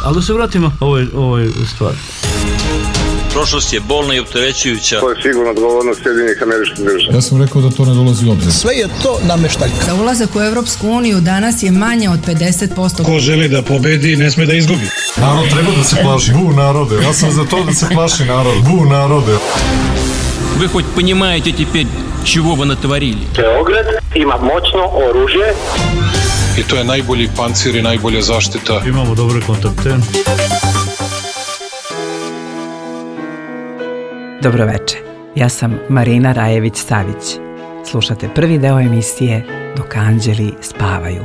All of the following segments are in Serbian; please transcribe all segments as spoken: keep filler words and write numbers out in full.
Ali da se vratimo ovoj, ovoj stvari. Prošlost je bolna i opterećujuća. To je sigurno odgovornost Sjedinjenih Američkih Država. Ja sam rekao da to ne dolazi u obzir. Sve je to nameštaljka. Za ulazak u Evropsku uniju danas je manje od pedeset posto. Ko želi da pobedi, ne sme da izgubi. Narod treba da se plaši. Bu narode. Ja sam za to da se plaši narod. Bu narode. Вы хоть понимаете теперь, чего вы натворили? Beograd ima moćno oružje. I to je najbolji pancir i najbolja zaštita. Imamo dobre kontakte. Dobroveče, ja sam Marina Rajević-Savić. Slušate prvi deo emisije Dok anđeli spavaju.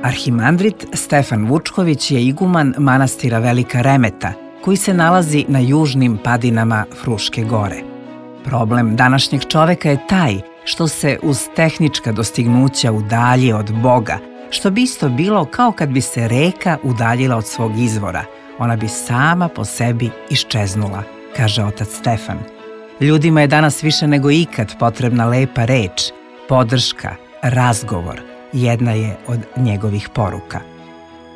Arhimandrit Stefan Vučković je iguman manastira Velika Remeta, koji se nalazi na južnim padinama Fruške gore. Problem današnjeg čoveka je taj što se uz tehnička dostignuća udalji od Boga, što bi isto bilo kao kad bi se reka udaljila od svog izvora. Ona bi sama po sebi iščeznula, kaže otac Stefan. Ljudima je danas više nego ikad potrebna lepa reč, podrška, razgovor. Jedna je od njegovih poruka.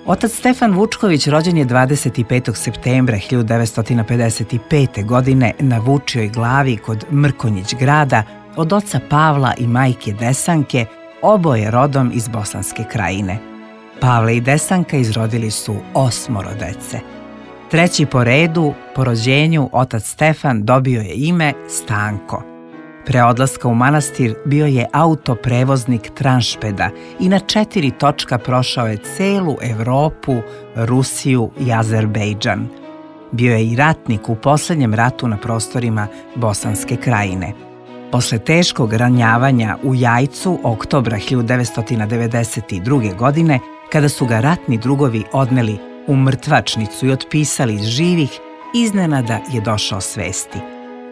Otac Stefan Vučković rođen je dvadeset petog septembra hiljadu devetsto pedeset pete. godine na Vučijoj glavi kod Mrkonjić grada od oca Pavla i majke Desanke, oboje rodom iz Bosanske Krajine. Pavle i Desanka izrodili su osmoro dece. Treći po redu, po rođenju, otac Stefan dobio je ime Stanko. Pre odlaska u manastir bio je autoprevoznik tranšpeda i na četiri točka prošao je celu Evropu, Rusiju i Azerbejdžan. Bio je i ratnik u poslednjem ratu na prostorima Bosanske Krajine. Posle teškog ranjavanja u Jajcu oktobra hiljadu devetsto devedeset druge. godine, kada su ga ratni drugovi odneli u mrtvačnicu i otpisali iz živih, iznenada je došao svesti.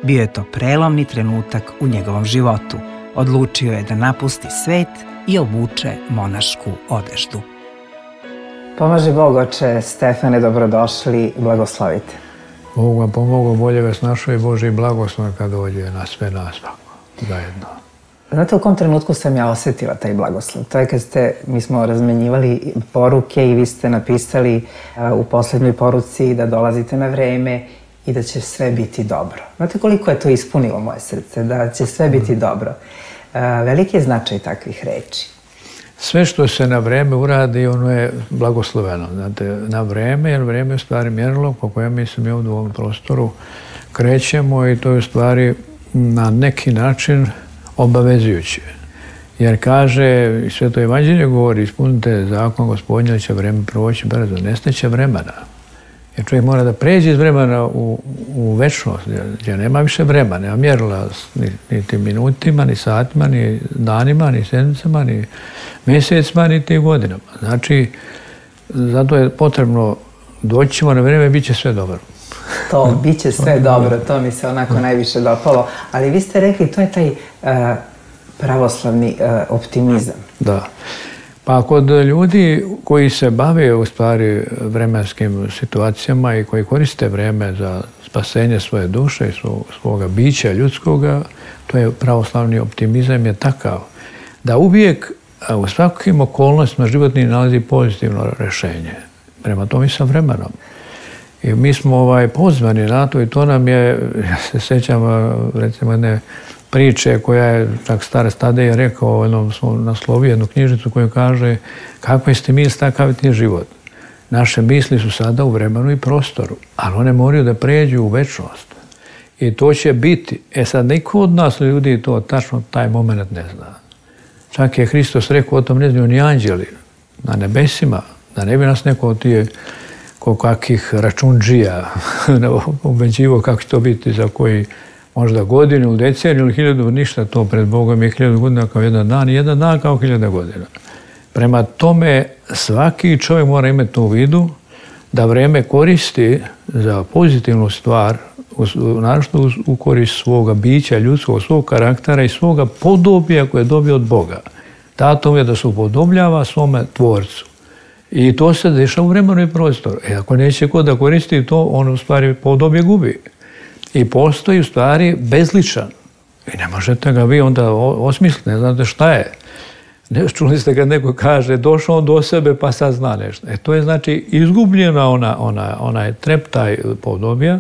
Bio je to prelomni trenutak u njegovom životu. Odlučio je da napusti svet i obuče monašku odeždu. Pomaže Bog, oče Stefane, dobrodošli, blagoslovite. Bog vam pomogao, bolje vas našao i Bože i blagoslov kad dođe na sve nas zajedno. Znate u kom trenutku sam ja osjetila taj blagoslov? To je kad ste, mi smo razmenjivali poruke i vi ste napisali u poslednjoj poruci da dolazite na vreme i da će sve biti dobro. Znate koliko je to ispunilo moje srce, da će sve biti dobro. Veliki je značaj takvih reči. Sve što se na vreme uradi, ono je blagosloveno. Znate, na vreme, jer vreme je u stvari mjerilo po kojem mi se mi ovdje u ovom prostoru krećemo i to je u stvari na neki način obavezujuće. Jer kaže, i Sveto evanđelje govori, ispunite zakon Gospodnja, da će vreme proći brzo, nestaće vremena. Jer čovjek mora da pređe iz vremena u, u večnost, gdje nema više vremena, nema mjerila ni, niti minutima, ni satima, ni danima, ni sedmicama, ni mjesecima, niti godinama. Znači, zato je potrebno doći ćemo na vrijeme, bit će sve dobro. To, bit će sve dobro, to mi se onako najviše dopalo. Ali vi ste rekli, to je taj uh, pravoslavni uh, optimizam. Da. Pa kod ljudi koji se bave u stvari vremenskim situacijama i koji koriste vreme za spasenje svoje duše i svoga bića ljudskoga, to je pravoslavni optimizam je takav da uvijek u svakim okolnostima životni nalazi pozitivno rješenje. Prema tome i sa vremenom. I mi smo ovaj, pozvani na to i to nam je, ja se sjećam recimo jedne priče koja je, tak stara Stadej je rekao, jednom smo naslovio jednu knjižicu koju kaže kakve ste misli, takav je život. Naše misli su sada u vremenu i prostoru, ali one moraju da pređu u večnost. I to će biti. E sad, niko od nas ljudi to tačno taj moment ne zna. Čak je Hristos rekao, o tom ne znaju ni anđeli na nebesima, da ne bi nas neko od tije kakvih račundžija ubeđivo kako će to biti za koji možda godinu ili deceniju ili hiljadu, ništa to pred Bogom je hiljadu godina kao jedan dan i jedan dan kao hiljada godina. Prema tome, svaki čovjek mora imati to u vidu da vreme koristi za pozitivnu stvar, naravno u korist svoga bića, ljudskog, svog karaktera i svoga podobija koje je dobio od Boga. Dato je da se upodobljava svome tvorcu. I to se dešava u vremenu i prostoru. E ako neće ko da koristi to, on u stvari podobje gubi. I postoji u stvari bezličan. I ne možete ga vi onda osmisliti, ne znate šta je. Ne, čuli ste kad neko kaže došao on do sebe pa sad zna nešto. E to je znači izgubljena ona, ona, onaj treptaj podobija,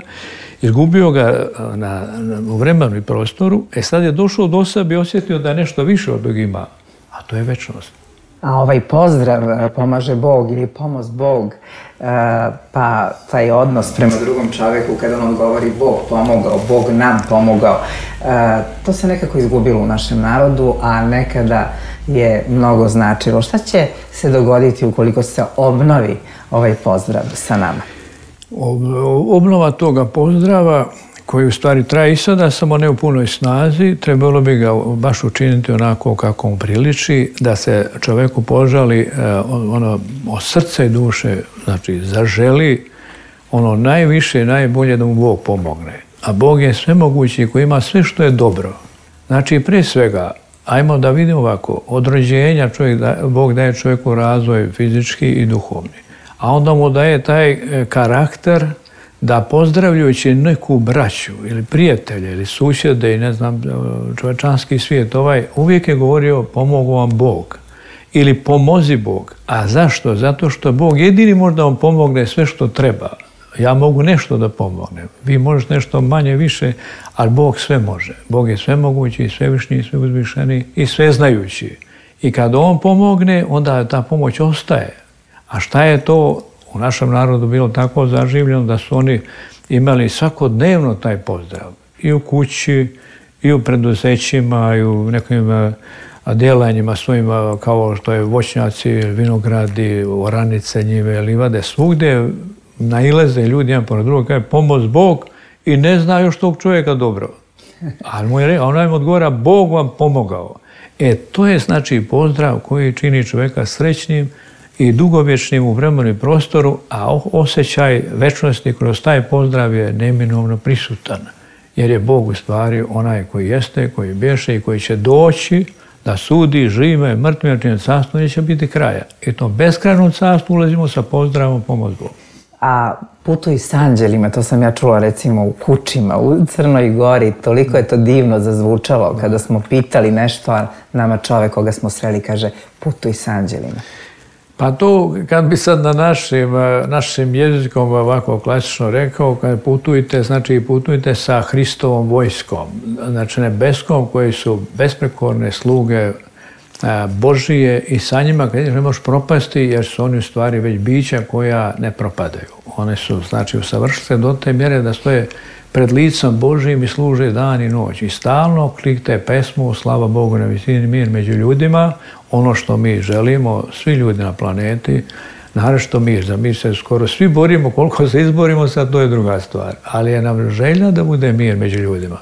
izgubio ga na, na, u vremenu i prostoru, e sad je došao do sebe i osjetio da je nešto više od toga ima, a to je večnost. A ovaj pozdrav pomaže Bog ili pomoz Bog, pa taj odnos prema drugom čoveku kada on odgovori Bog pomogao, Bog nam pomogao, to se nekako izgubilo u našem narodu, a nekada je mnogo značilo. Šta će se dogoditi ukoliko se obnovi ovaj pozdrav sa nama? Obnova toga pozdrava, koji u stvari traje i sada, samo ne u punoj snazi, trebalo bi ga baš učiniti onako kako mu priliči, da se čoveku požali ono od srca i duše, znači zaželi ono najviše i najbolje da mu Bog pomogne. A Bog je svemogući koji ima sve što je dobro. Znači, pre svega, ajmo da vidimo ovako, od rođenja čovjek da, Bog daje čovjeku razvoj fizički i duhovni. A onda mu daje taj karakter da pozdravljajući neku braću ili prijatelje ili susjede i ne znam, čovečanski svijet, ovaj uvijek je govorio pomogu vam Bog ili pomozi Bog. A zašto? Zato što Bog jedini može da vam pomogne sve što treba. Ja mogu nešto da pomognem. Vi možete nešto manje, više, ali Bog sve može. Bog je svemogući i svevišnji i sveuzvišeni i sveznajući. I kad On pomogne, onda ta pomoć ostaje. A šta je to u našem narodu bilo tako zaživljeno da su oni imali svakodnevno taj pozdrav. I u kući, i u preduzećima, i u nekim djelanjima svojim, kao što je voćnjaci, vinogradi, oranice, njive, livade, svugdje naileze ljudi jedan pored drugog, kaže pomoz Bog i ne zna još tog čovjeka dobro. Ali mu je rekao, onaj mu odgovara, Bog vam pomogao. E, to je znači pozdrav koji čini čovjeka srećnim i dugovječnim u vremenu i prostoru, a osjećaj večnosti kroz taj pozdrav je neminovno prisutan. Jer je Bog u stvari onaj koji jeste, koji bješe i koji će doći da sudi žive, mrtve, čine carstvo, neće biti kraja. I to beskrajnom carstvu ulazimo sa pozdravom pomoz Bogu. A putuj s anđelima, to sam ja čula recimo u Kučima, u Crnoj Gori, toliko je to divno zazvučalo kada smo pitali nešto, a nama čovek koga smo sreli kaže putuj s anđelima. Pa to, kad bi sad na našim, našim jezikom ovako klasično rekao, kad putujte, znači putujte sa Hristovom vojskom, znači nebeskom, koji su besprekorne sluge Božije i sa njima kad ne možeš propasti jer su oni u stvari već bića koja ne propadaju. One su, znači, usavršile se do te mjere da stoje pred licom Božijim i služe dan i noć. I stalno klikte pesmu slava Bogu na visini, mir među ljudima, ono što mi želimo, svi ljudi na planeti, naročito mir. Za mir se skoro svi borimo, koliko se izborimo, sad to je druga stvar. Ali je nam želja da bude mir među ljudima.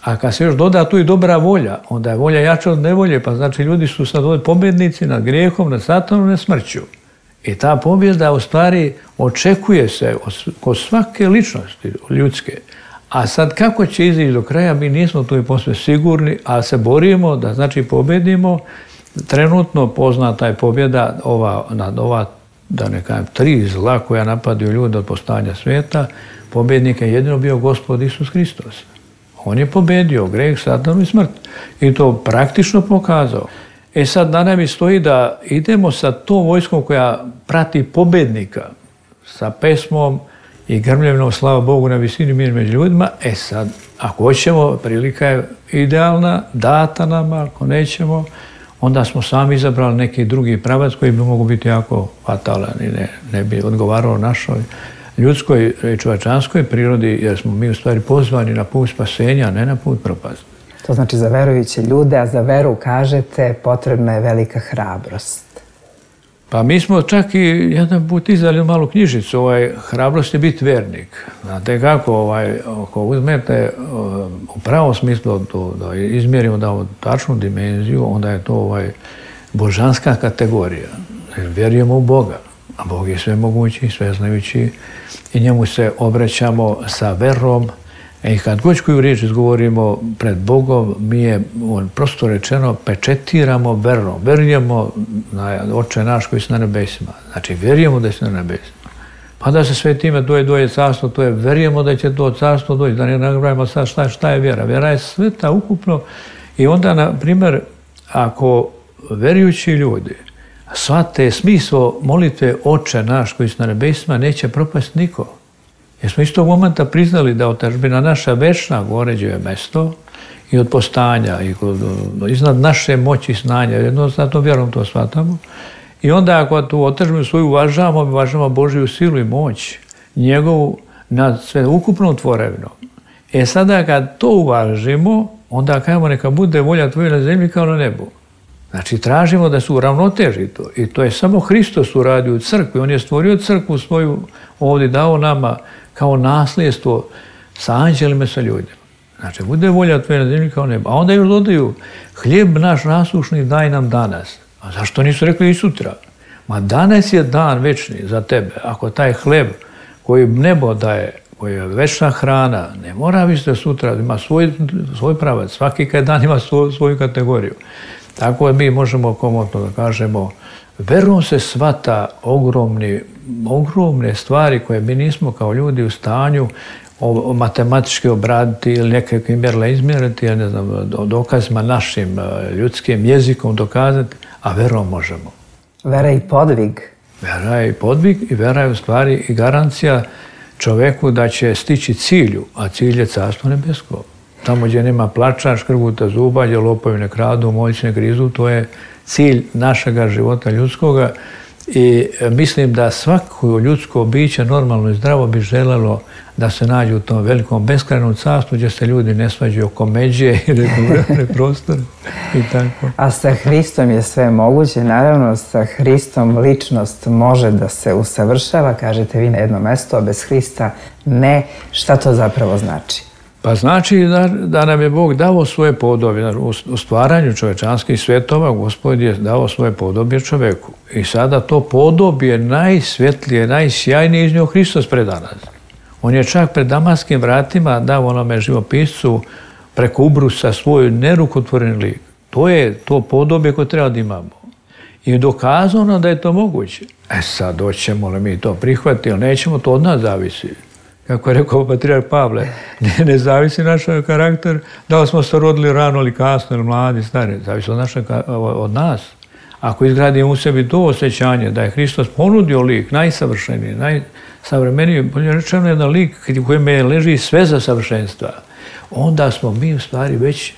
A kad se još doda tu i dobra volja, onda je volja jača od nevolje, pa znači ljudi su sad ovdje pobjednici nad grijehom, nad satanom, nad smrću. I ta pobjeda u stvari očekuje se kod svake ličnosti ljudske. A sad kako će izići do kraja, mi nismo tu i posve sigurni, ali se borimo da znači pobjedimo. Trenutno poznata je pobjeda ova, nad ova, da ne kažem, tri zla koja napadaju ljude od postojanja svijeta. Pobjednik je jedino bio Gospod Isus Hristos. On je pobedio greh, satanu i smrt. I to praktično pokazao. E sad na nama stoji da idemo sa tom vojskom koja prati pobednika, sa pesmom i grmljevnom slava Bogu na visini, mir među ljudima. E sad, ako hoćemo, prilika je idealna, data nama, ako nećemo, onda smo sami izabrali neki drugi pravac koji bi mogu biti jako fatalan i ne, ne bi odgovarao našoj ljudskoj i čovječanskoj prirodi, jer smo mi u stvari pozvani na put spasenja, a ne na put propasti. To znači za verujuće ljude, a za veru kažete potrebna je velika hrabrost. Pa mi smo čak i jedan put izdali malu knjižicu, ovaj, hrabrost je biti vernik. Znate kako, ovaj, ako uzmete u pravom smislu da izmjerimo da ovu tačnu dimenziju, onda je to ovaj, božanska kategorija. Vjerujemo u Boga, a Bog je svemogući, sveznajući i njemu se obraćamo sa verom. I kad god koju riječ izgovorimo pred Bogom, mi je, prosto rečeno, pečetiramo verom. Verujemo na Oče naš koji si na nebesima. Znači, vjerujemo da si na nebesima. Pa da se sve time doje, doje carstvo, to je verujemo da će to carstvo doći. Da ne napravimo sad šta, šta je vjera. Vjera je sveta ukupno. I onda, na primjer, ako verujući ljudi shvate smisao molitve Oče naš koji su na nebesima, neće propasti niko. Jer smo iz tog momenta priznali da otadžbina naša večna goređuje mesto i od postanja, i iznad naše moći i znanja, jednostavno vjerom to shvatamo. I onda ako tu otadžbinu svoju uvažavamo, uvažavamo Božju silu i moć, njegovu nad sve ukupnom tvorevinom. E sada kad to uvažimo, onda kažemo neka bude volja tvoja na zemlji kao na nebu. Znači tražimo da se uravnoteži to. I to je samo Hristos uradio u crkvi. On je stvorio crkvu svoju, ovdje dao nama kao nasljedstvo sa anđelima, sa ljudima. Znači bude volja tvoja na zemlji kao na nebu. A onda još dodaju, hljeb naš nasušni daj nam danas. A zašto nisu rekli i sutra? Ma danas je dan večni za tebe. Ako taj hljeb koji nebo daje, koji je večna hrana, ne mora biti sutra, ima svoj, svoj pravac. Svaki dan ima svoj, svoju kategoriju. Tako da mi možemo komotno da kažemo, verom se shvata ogromni, ogromne stvari koje mi nismo kao ljudi u stanju o, o matematički obraditi ili nekakvim mjerila izmjeriti, ili ne znam, dokazima našim ljudskim jezikom dokazati, a verom možemo. Vera i podvig. Vera je i podvig i vera je u stvari i garancija čoveku da će stići cilju, a cilj je carstvo nebesko. Tamo gdje nema plača, škrguta zuba, gdje lopovi ne kradu, moćni ne grizu, to je cilj našega života ljudskoga i mislim da svako ljudsko biće normalno i zdravo bi želelo da se nađe u tom velikom beskrajnom carstvu gdje se ljudi ne svađaju oko međe i nekom prostoru i tako. A sa Hristom je sve moguće. Naravno, sa Hristom ličnost može da se usavršava, kažete vi na jedno mesto, a bez Hrista ne. Šta to zapravo znači? Pa znači da, da nam je Bog dao svoje podobje. U stvaranju čovečanskih svjetova Gospod je dao svoje podobje čoveku. I sada to podobje najsvjetlije, najsjajnije iz njega Hristos preda nas. On je čak pred Damaskim vratima dao onome živopiscu preko ubrusa svoj nerukotvoreni lik. To je to podobje koje treba da imamo. I dokazano da je to moguće. E sad, hoćemo li mi to prihvatiti ili nećemo, to od nas zavisi. Kako je rekao patrijarh Pavle, ne, ne zavisi naš karakter, da li smo se rodili rano ili kasno ili mladi, stari, zavisi od, naša, od nas. Ako izgradimo u sebi to osjećanje da je Hristos ponudio lik najsavršeniji, najsavremeniji, bolje rečeno jedan lik u kojem je leži sve za savršenstva, onda smo mi u stvari već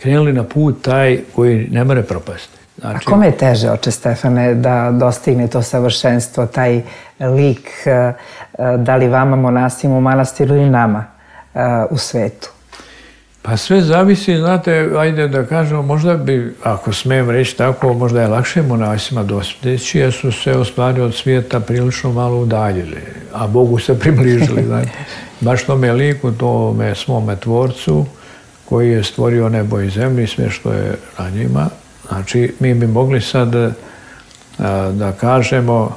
krenuli na put taj koji ne more propasti. Znači, a kome je teže, oče Stefane, da dostigne to savršenstvo, taj lik, da li vama monasima u manastiru ili nama u svetu? Pa sve zavisi, znate, ajde da kažemo, možda bi, ako smijem reći tako, možda je lakše monasima dostići, jer su se u stvari od svijeta prilično malo udaljili, a Bogu se približili. Znate. Baš tome liku, tome svome tvorcu, koji je stvorio nebo i zemlju i sve što je na njima. Znači, mi bi mogli sad a, da kažemo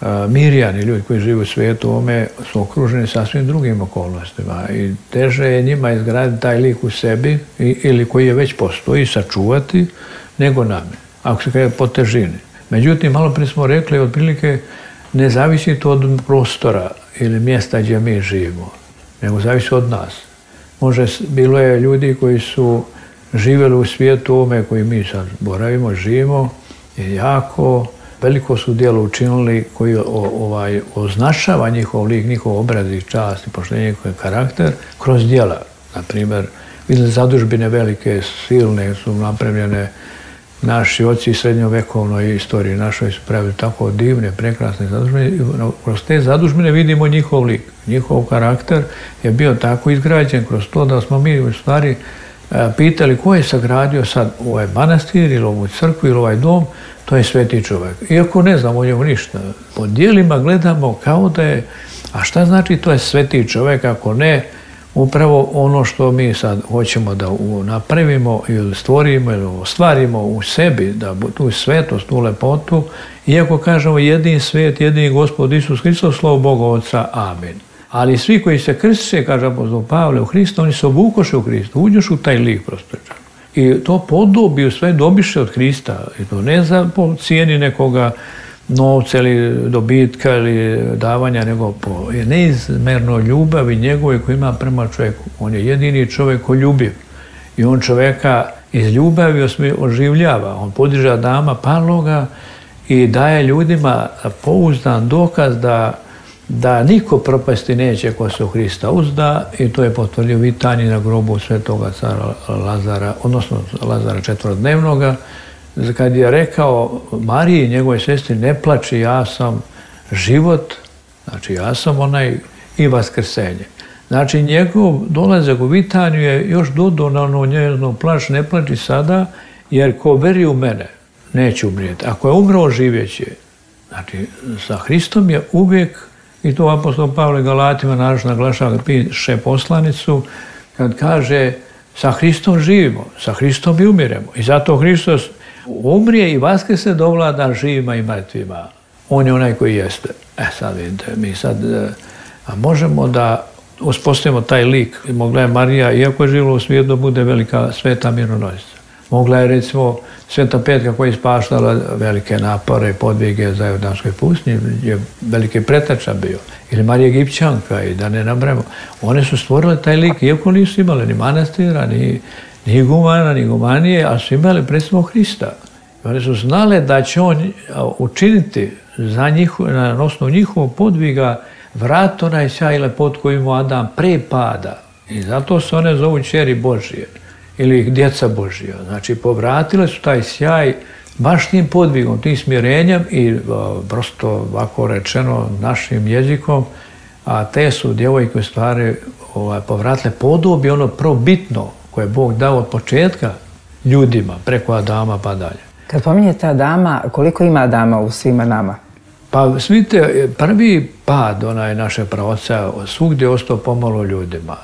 a, mirjani ljudi koji žive u svijetu ovome su okruženi sasvim drugim okolnostima i teže je njima izgraditi taj lik u sebi i, ili koji je već postoji, sačuvati, nego nami, ako se kaže po težini. Međutim, malo prije smo rekli, otprilike ne zavisi to od prostora ili mjesta gdje mi živimo, nego zavisi od nas. Može, bilo je ljudi koji su živjeli u svijetu ovome koji mi sad boravimo, živimo i jako veliko su djelo učinili koji ovaj, označava njihov lik, njihov obraz i čast i poštenje, njihov karakter kroz djela. Naprimjer, vidjeli zadužbine velike, silne su napravljene, naši oci i srednjovekovnoj istoriji našoj su pravili tako divne, prekrasne zadužbine. Kroz te zadužbine vidimo njihov lik, njihov karakter je bio tako izgrađen kroz to da smo mi u stvari pitali ko je sagradio sad ovaj manastir ili ovu crkvu ili ovaj dom, to je sveti čovjek. Iako ne znamo o njemu ništa. Po dijelima gledamo kao da je, a šta znači to je sveti čovjek ako ne upravo ono što mi sad hoćemo da napravimo ili stvorimo ili ostvarimo u sebi, da tu svetost, tu lepotu, iako kažemo jedini svet, jedini Gospod Isus Hristos, slovo Boga Otca, amen. Ali svi koji se krstiše, kaže apostol Pavle, u Hristu, oni se obukoše u Hristu, uđeš u taj lik prosto. I to podobi u sve dobiše od Hrista. I to ne za po cijeni nekoga novca ili dobitka ili davanja, nego po neizmerno ljubavi njegove koju ima prema čovjeku. On je jedini čovjek koji ljubiv. I on čovjeka Iz ljubavi oživljava. On podiže Adama paloga i daje ljudima pouzdan dokaz da, da niko propasti neće ko se u Hrista uzda, i to je potvrdio Vitanji na grobu svetoga cara Lazara, odnosno Lazara četvorodnevnoga, kad je rekao Mariji, njegovoj sestri, ne plači, ja sam život, znači ja sam onaj i vaskrsenje. Znači njegov dolazak u Vitaniju je još dodao na ono njezno plač, ne plači sada, jer ko veri u mene neće umrijeti. Ako je umro, živjeće. Znači, sa Hristom je uvijek, i to apostol Pavle Galatima naš naglašava, piše poslanicu, kad kaže sa Hristom živimo, sa Hristom i umiremo. I zato Hristos umrije i vaskrse dovlada živima i mrtvima. On je onaj koji jeste. E sad vidite, mi sad a možemo da uspostavimo taj lik. Mogla je Marija, iako je živjela u svijetu, da bude velika sveta mironosica. Mogla je, recimo, Sveta Petka koja je ispaštala velike napore i podvige za Jordanskoj pustinji, je veliki pretača bio. Ili Marija Egipćanka, i da ne nabrajamo. One su stvorile taj lik, iako nisu imali ni manastira, ni, ni igumana, ni igumanije, ali su imali predstavno Hrista. I one su znale da će on učiniti za njiho, na osnovu njihovog podviga vrat onaj sjaj i lepot koji imao Adam pre pada. I zato se one zovu ćeri Božije ili djeca Božija. Znači, povratile su taj sjaj baš tim podvigom, tim smjerenjem i prosto ovako rečeno našim jezikom, a te su djevojke u stvari ovaj, povratile podobje ono probitno koje je Bog dao od početka ljudima, preko Adama pa dalje. Kad pominjete Adama, koliko ima Adama u svima nama? Pa vidite, prvi pad onaj naše praoca svugdje je ostao pomalo ljudima.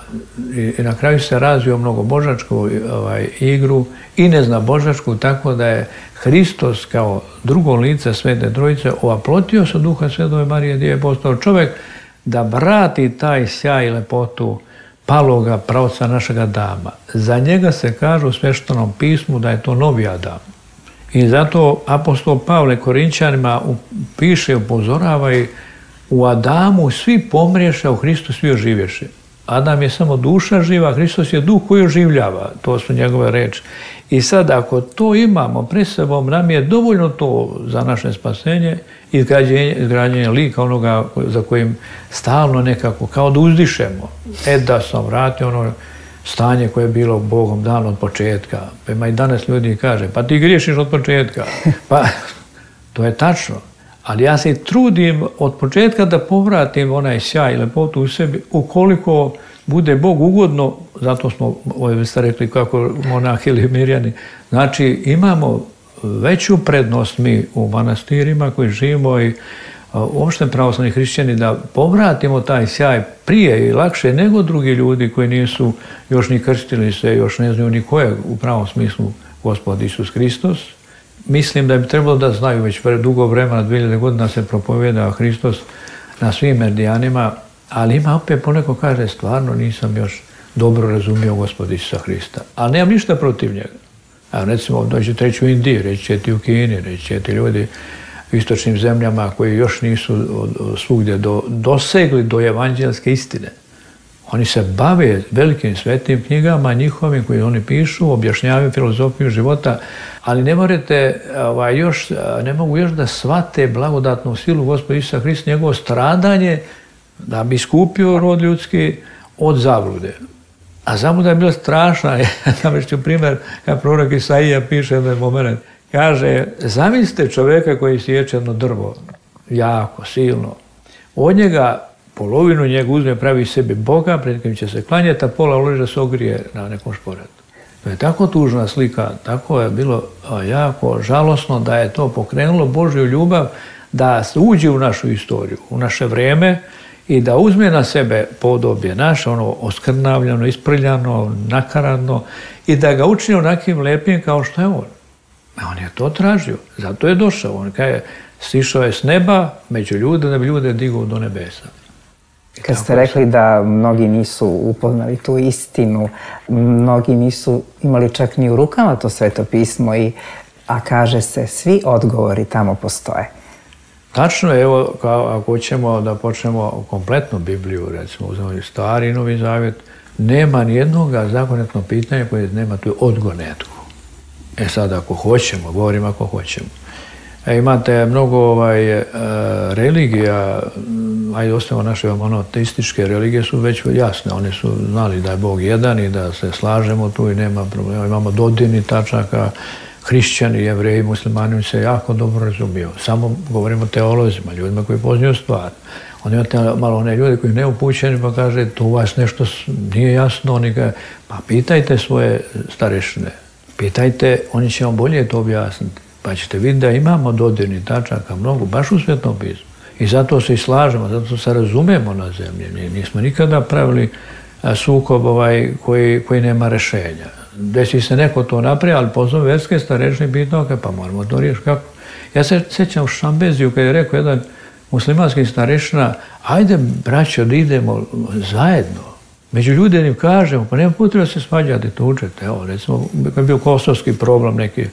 I, i na kraju se razvio mnogobožačku ovaj, igru i neznabožačku, tako da je Hristos kao drugo lice Svete Trojice ovaplotio se Duha Svetove Marije, gdje je postao čovjek da vrati taj sjaj i lepotu paloga praoca našega Adama. Za njega se kaže u Sveštenom pismu da je to novi Adam. I zato apostol Pavle Korinčanima piše, upozorava i u Adamu svi pomriješe, a u Hristu svi oživješe. Adam je samo duša živa, Hristos je duh koji oživljava. To su njegove reči. I sad ako to imamo pred sobom, nam je dovoljno to za naše spasenje i izgrađenje lika onoga za kojim stalno nekako, kao da uzdišemo. E da sam vratio ono stanje koje je bilo Bogom dano od početka. Pa ima i danas ljudi kaže, pa ti griješiš od početka. Pa to je tačno. Ali ja se trudim od početka da povratim onaj sjaj i lepotu u sebi, ukoliko bude Bog ugodno, zato smo, ovo ste rekli kako monahi ili mirjani, znači imamo veću prednost mi u manastirima koji živimo i uopšte pravoslavni hrišćani da povratimo taj sjaj prije i lakše nego drugi ljudi koji nisu još ni krstili se, još ne znaju ni ko je u pravom smislu Gospod Isus Hristos. Mislim da bi trebalo da znaju, već dugo vremena, dvije hiljade godina se propovjeda Hristos na svim meridijanima, ali ima opet poneko kaže, stvarno nisam još dobro razumio Gospod Isusa Hrista. Ali nemam ništa protiv njega. A recimo, dođete reći u Indiji, reći će ti u Kini, reći će ti ljudi u istočnim zemljama koji još nisu svugdje do, dosegli do evanđelske istine. Oni se bave velikim svetim knjigama njihovim koji oni pišu, objašnjavaju filozofiju života, ali ne morate, ovaj, još, ne mogu još da shvate blagodatnu silu Gospoda Isusa Hrista, njegovo stradanje da bi iskupio rod ljudski od zablude. A zabluda je bila strašna. Ja ću primjer, kad prorok Isaija piše jedan moment, kaže, zamislite čovjeka koji sječe jedno drvo, jako, silno. Od njega, polovinu njega uzme, pravi sebi Boga, pred kojim će se klanjati, a pola uloži da se ogrije na nekom šporetu. To je tako tužna slika, tako je bilo jako žalosno da je to pokrenulo Božju ljubav da se uđe u našu istoriju, u naše vrijeme i da uzme na sebe podobje naše, ono oskrnavljano, isprljano, nakaradno i da ga učini onakim lepim kao što je on. A on je to tražio, zato je došao. On kaže, sišao je s neba među ljude da bi ljude digao do nebesa. Kad ste rekli da mnogi nisu upoznali tu istinu, mnogi nisu imali čak ni u rukama to Sveto pismo, i, a kaže se, svi odgovori tamo postoje. Tačno je, evo, kao, ako hoćemo da počnemo kompletnu Bibliju, recimo, uzmemo Stari i Novi Zavjet, nema nijednog zakonitnog pitanja koje nema tu odgovor netko. E sad, ako hoćemo, govorim ako hoćemo. E, imate mnogo ovaj, e, religija, ajde ostavimo naše monoteističke religije su već jasne. Oni su znali da je Bog jedan i da se slažemo tu i nema problema. Imamo dodirnih tačaka, hrišćani, jevreji, muslimani se jako dobro razumiju. Samo govorimo o teolozima, ljudima koji poznaju stvar. Onda imate malo one ljude koji ne upućeni pa kaže tu vas nešto nije jasno. Oni kaže, pa pitajte svoje starešine, pitajte, oni će vam bolje to objasniti. Pa ćete vidjeti da imamo dodirnih tačaka mnogo, baš u Svetom pismu. I zato se i slažemo, zato se razumemo na zemlji. Nismo nikada pravili sukob ovaj koji, koji nema rešenja. Desi se neko to napravi, ali pozove verske starešine pitao, pa moramo to riješiti. Kako? Ja se sjećam u Šambeziju kad je rekao jedan muslimanski starešina, ajde braćo da idemo zajedno. Među ljudima kažemo, pa nema potreba se svađati, tučete. Evo, recimo, kad je bio kosovski problem neki,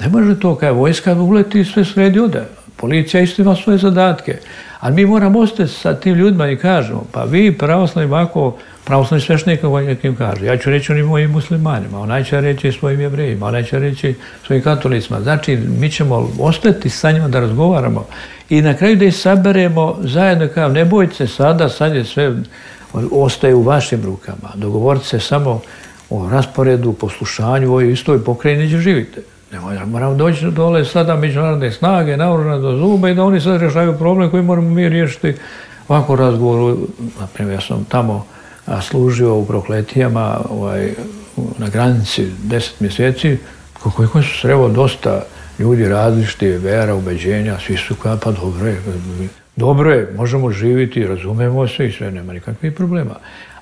ne može to kada vojska uleti i sve sredi ode. Policija isto ima svoje zadatke. Ali mi moramo ostati sa tim ljudima i kažemo, pa vi pravoslavni ovako, pravoslavni sveštenik nekim kaže. Ja ću reći onim mojim muslimanima, onaj će reći svojim jevrejima, onaj će reći svojim katolicima. Znači, mi ćemo ostati sa njima da razgovaramo i na kraju da ih saberemo zajedno kao ne bojte se sada, sad je sve ostaje u vašim rukama. Dogovorite se samo o rasporedu, poslušanju u ovoj istoj pokrajini gdje živite. Ne moramo doći dole sada međunarodne snage, naoružane do zuba i da oni sad rješaju problem koji moramo mi riješiti ovako razgovoru. Naprimjer, ja sam tamo služio u Prokletijama ovaj, na granici deset mjeseci, koliko su sreo dosta ljudi različiti, vera, ubeđenja, svi su kao, pa dobro je, dobro je, možemo živjeti, razumemo se i sve, nema nikakvih problema.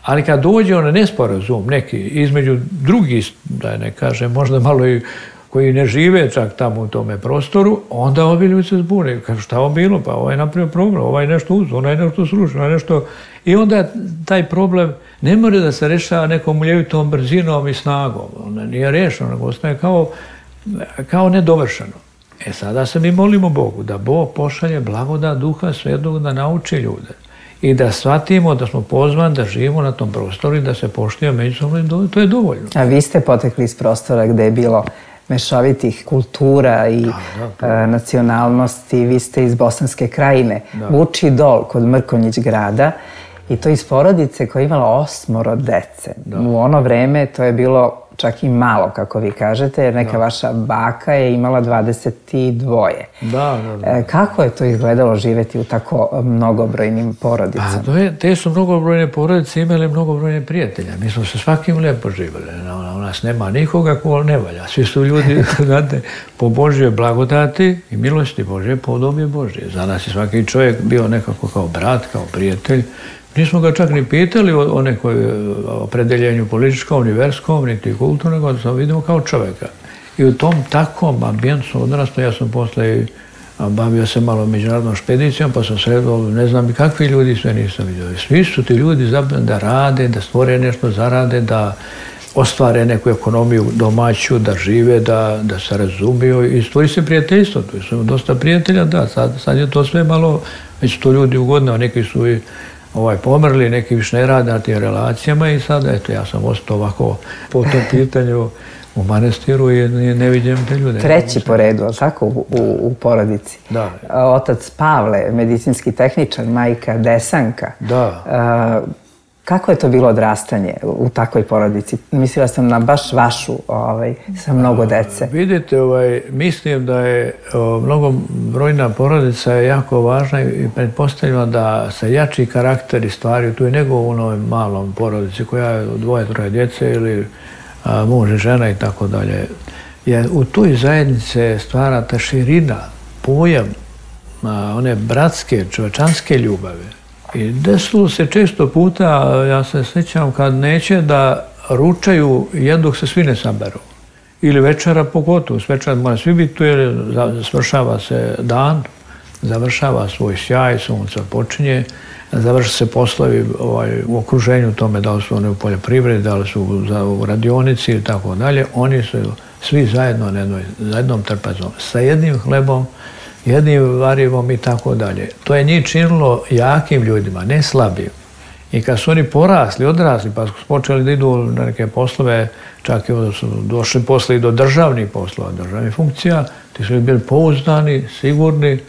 Ali kad dođe on nesporazum neki između drugih, da ne kažem, možda malo i koji ne žive čak tamo u tome prostoru, onda ovi ljudi se zbune. Kažu, šta ovo bilo? Pa ovaj je napravio problem, ovaj je nešto uzeo, onaj je nešto srušio, onaj je nešto... I onda taj problem ne može da se rešava nekom uljevitom brzinom i snagom. Ona nije rešeno, nego ostaje kao, kao nedovršeno. E sada se mi molimo Bogu da Bog pošalje blagodat Duha Svetog da nauči ljude i da shvatimo da smo pozvani da živimo na tom prostoru i da se poštujemo međusobno, to je dovoljno. A vi ste potekli iz prostora gde je bilo mešovitih kultura i da, da, nacionalnosti. Vi ste iz Bosanske Krajine, da. Vuči Dol kod Mrkonjić grada i to iz porodice koja je imala osmoro dece. Da. U ono vreme to je bilo čak i malo, kako vi kažete, jer neka da. Vaša baka je imala dvadeset dvoje. Da, da, da. E, kako je to izgledalo živjeti u tako mnogobrojnim porodicama? Pa, to je, te su mnogobrojne porodice imale mnogobrojne prijatelja. Mi smo se svakim lijepo živjeli. U nas nema nikoga ko ne valja. Svi su ljudi, znate, po Božjoj blagodati i milosti Božje, po podobje Božje. Za nas je svaki čovjek bio nekako kao brat, kao prijatelj. Nismo ga čak ni pitali o, o nekoj opredeljenju političkom, ni verskom, niti kulturnom, nego samo vidimo kao čovjeka. I u tom takvom ambijentu odrastao, ja sam posle bavio se malo međunarodnom špedicijom, pa sam sredo, ne znam kakvi ljudi sve nisam vidio. Svi su ti ljudi zapravo da rade, da stvore nešto, zarade, da ostvare neku ekonomiju domaću, da žive, da, da se razumiju i stvori se prijateljstvo. Tu su dosta prijatelja, da, sad, sad je to sve malo, već to ljudi ugodno, neki su i ovaj, pomrli, neki više ne rade na tim relacijama i sad, eto, ja sam ostao ovako po tom pitanju u manastiru i ne vidim te ljude. Treći po redu, ali tako, u, u, u porodici. Da. Otac Pavle, medicinski tehničar, majka Desanka. Da. A, kako je to bilo odrastanje u takvoj porodici? Mislila sam na baš vašu, ovaj, sa mnogo dece. A, vidite, ovaj, mislim da je o, mnogo brojna porodica je jako važna i pretpostavljamo da se jači karakteri stvari tu je nego u onoj malom porodici koja je dvoje, troje djece ili a, muž i žena i tako dalje. Jer u toj zajednici stvara ta širina, pojam a, one bratske, čovečanske ljubave. I desilo se često puta, ja se sjećam, kad neće da ručaju jednog se svi ne saberu. Ili večera pogotovo, s večera mora svi biti tu jer svršava se dan, završava svoj sjaj, sunca počinje, završa se poslovi ovaj, u okruženju tome, da li su oni u poljoprivredi, da li su u radionici i tako dalje. Oni su svi zajedno na jednoj, za jednom trpezom, sa jednim hlebom, jednim varivom i tako dalje. To je njih činilo jakim ljudima, ne slabim. I kad su oni porasli, odrasli, pa su počeli da idu na neke poslove, čak i onda su došli posle i do državnih poslova, državnih funkcija, ti su bili pouzdani, sigurni.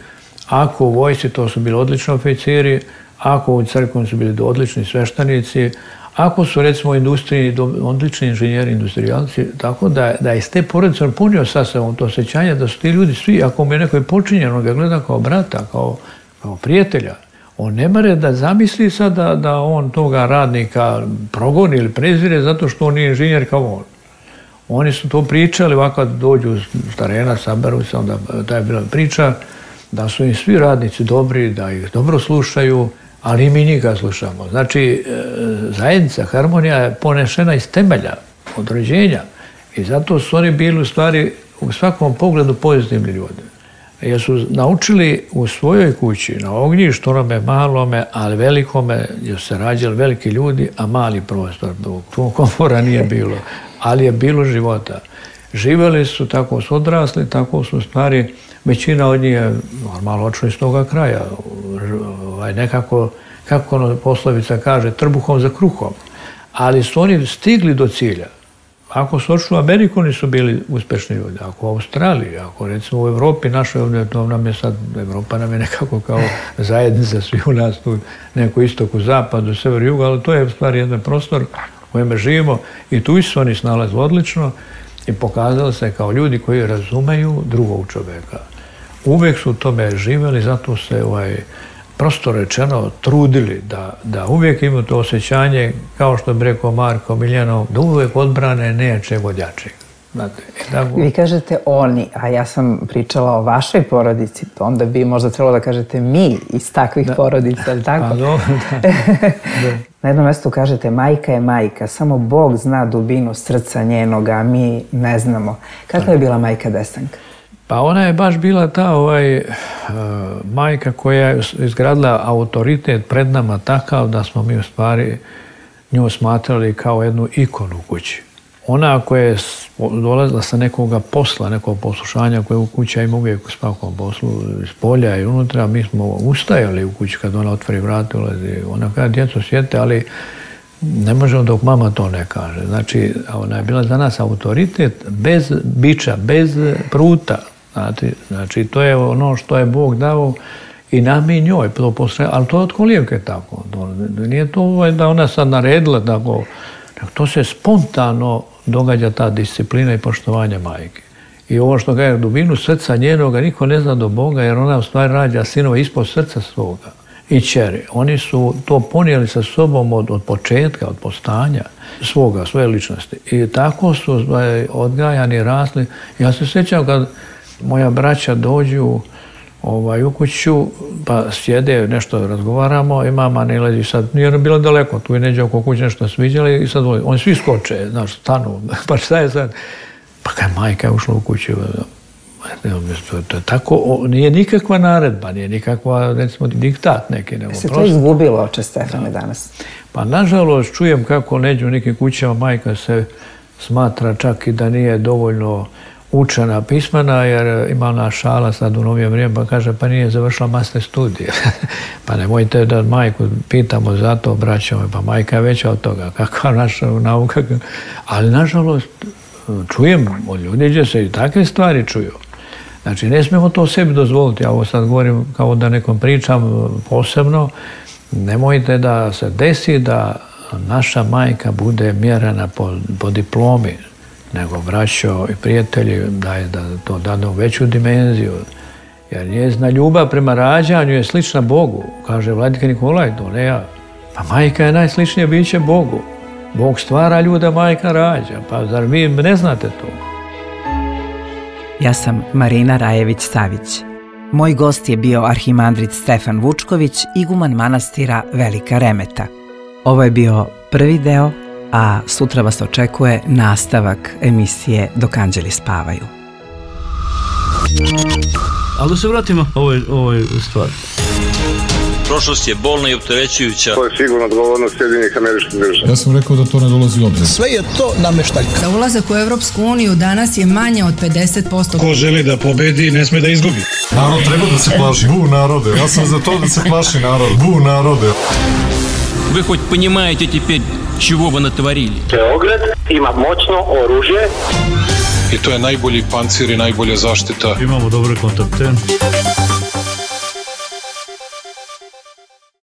Ako u vojsci, to su bili odlični oficiri, ako u crkvom su bili odlični sveštenici, ako su recimo u industriji odlični inženjeri, industrijalci, tako da, da iz te porodice on punio sa sobom to osjećanje da su ti ljudi svi, ako mu je neko počinjen, on ga gleda kao brata, kao, kao prijatelja. On ne more da zamisli sad da, da on toga radnika progoni ili prezire zato što on nije inženjer kao on. Oni su to pričali, ovako dođu s terena, saberu se, onda ta je bila priča da su im svi radnici dobri, da ih dobro slušaju, ali i mi njega slušamo. Znači, zajednica, harmonija je ponešena iz temelja, od rođenja. I zato su oni bili u stvari u svakom pogledu pozitivni ljudi. Jer su naučili u svojoj kući, na ognjištu, onome malome, ali velikome, jer se rađali veliki ljudi, a mali prostor. Tu komfora nije bilo, ali je bilo života. Živjeli su, tako su odrasli, tako su u stvari, većina od njih je normalno očeli iz toga kraja. Ovaj, nekako, kako ono poslovica kaže, trbuhom za kruhom. Ali su oni stigli do cilja. Ako su očeli u Ameriku, oni su bili uspešni ljudi. Ako u Australiji, ako recimo u Evropi, našoj ovdje, to nam je sad, Evropa nam je nekako kao zajednica, svi u nas tu, neko istoku, zapadu, sever, jugu, ali to je u stvari jedan prostor u kojem živimo i tu su oni snalazili odlično i pokazali se kao ljudi koji razumeju drugog čoveka. Uvijek su u tome živjeli, zato se ovaj, prosto rečeno trudili da, da uvijek imaju to osjećanje, kao što bi rekao Marko Miljanov, da uvijek odbrane nečeg od jačeg. Znate, tako... Vi kažete oni, a ja sam pričala o vašoj porodici, onda bi možda trebalo da kažete mi iz takvih da. porodica, ali tako? Pa dobro, da. da. Na jednom mjestu kažete majka je majka, samo Bog zna dubinu srca njenoga, a mi ne znamo. Kakva je bila majka Desanka? Pa ona je baš bila ta ovaj, uh, majka koja je izgradila autoritet pred nama takav da smo mi u stvari nju smatrali kao jednu ikonu u kući. Ona koja je dolazila sa nekoga posla, nekog poslušanja koje u kuća ima uvijek u svakom poslu, iz polja i unutra, mi smo ustajali u kući kad ona otvori vrat, ulazi. Ona kada djeco sjete, ali ne možemo dok mama to ne kaže. Znači, ona je bila za nas autoritet bez biča, bez pruta. Znači, znači, to je ono što je Bog dao i nam i njoj, to posle, ali to je od kolijevke tako. To, nije to da ona sad naredila tako, to se spontano događa ta disciplina i poštovanje majke. I ovo što kaže, dubinu srca njenoga niko ne zna do Boga, jer ona u stvari rađa sinova ispod srca svoga i ćeri. Oni su to ponijeli sa sobom od, od početka, od postanja svoga, svoje ličnosti. I tako su odgajani, rasli. Ja se sjećam kad moja braća dođu ovaj, u kuću, pa sjede, nešto razgovaramo i mama ne lezi sad, nije bilo daleko, tu je neđe oko kuće nešto sviđali i sad oni svi skoče, znaš, stanu, pa šta je sad? Pa kaj majka je ušla u kuću, to je tako, nije nikakva naredba, nije nikakva, recimo, diktat neki. Nego se to izgubilo, oče Stefane, danas? Pa nažalost čujem kako neđe u nekim kućama majka se smatra čak i da nije dovoljno učena, pismena, jer ima ona šala sad u novije vrijeme, pa kaže, pa nije završila master studije. Pa nemojte da majku pitamo za to, braćom, pa majka je veća od toga, kakva naša nauka. Ali, nažalost, čujem od ljudi gdje se i takve stvari čuju. Znači, ne smijemo to sebi dozvoliti. Ja ovo sad govorim kao da nekom pričam posebno. Nemojte da se desi da naša majka bude mjerena po, po diplomi, nego braćo i prijatelji daje da to dadu veću dimenziju. Jer njezina ljubav prema rađanju je slična Bogu, kaže Vladika Nikolaj, to ne ja. Pa majka je najsličnije biće Bogu. Bog stvara ljuda, majka rađa. Pa zar vi ne znate to? Ja sam Marina Rajević-Savić. Moj gost je bio arhimandrit Stefan Vučković, iguman manastira Velika Remeta. Ovo je bio prvi deo, a sutra vas očekuje nastavak emisije Dok anđeli spavaju. Ali da se vratimo ovoj, ovoj stvari. Prošlost je bolna i opterećujuća. To je sigurno odgovornost Sjedinjenih Američkih Država. Ja sam rekao da to ne dolazi u obzir. Sve je to nameštaljka. Za ulazak u Evropsku uniju danas je manje od pedeset posto. Ko želi da pobedi, ne sme da izgubi. Narod treba da se plaši. Bu narode. Ja sam za to da se plaši narod. Bu narode. Вы хоть понимаете теперь, чего вы натворили? Beograd ima moćno oružje. I to je najbolji pancir i najbolja zaštita. Imamo dobre kontakte.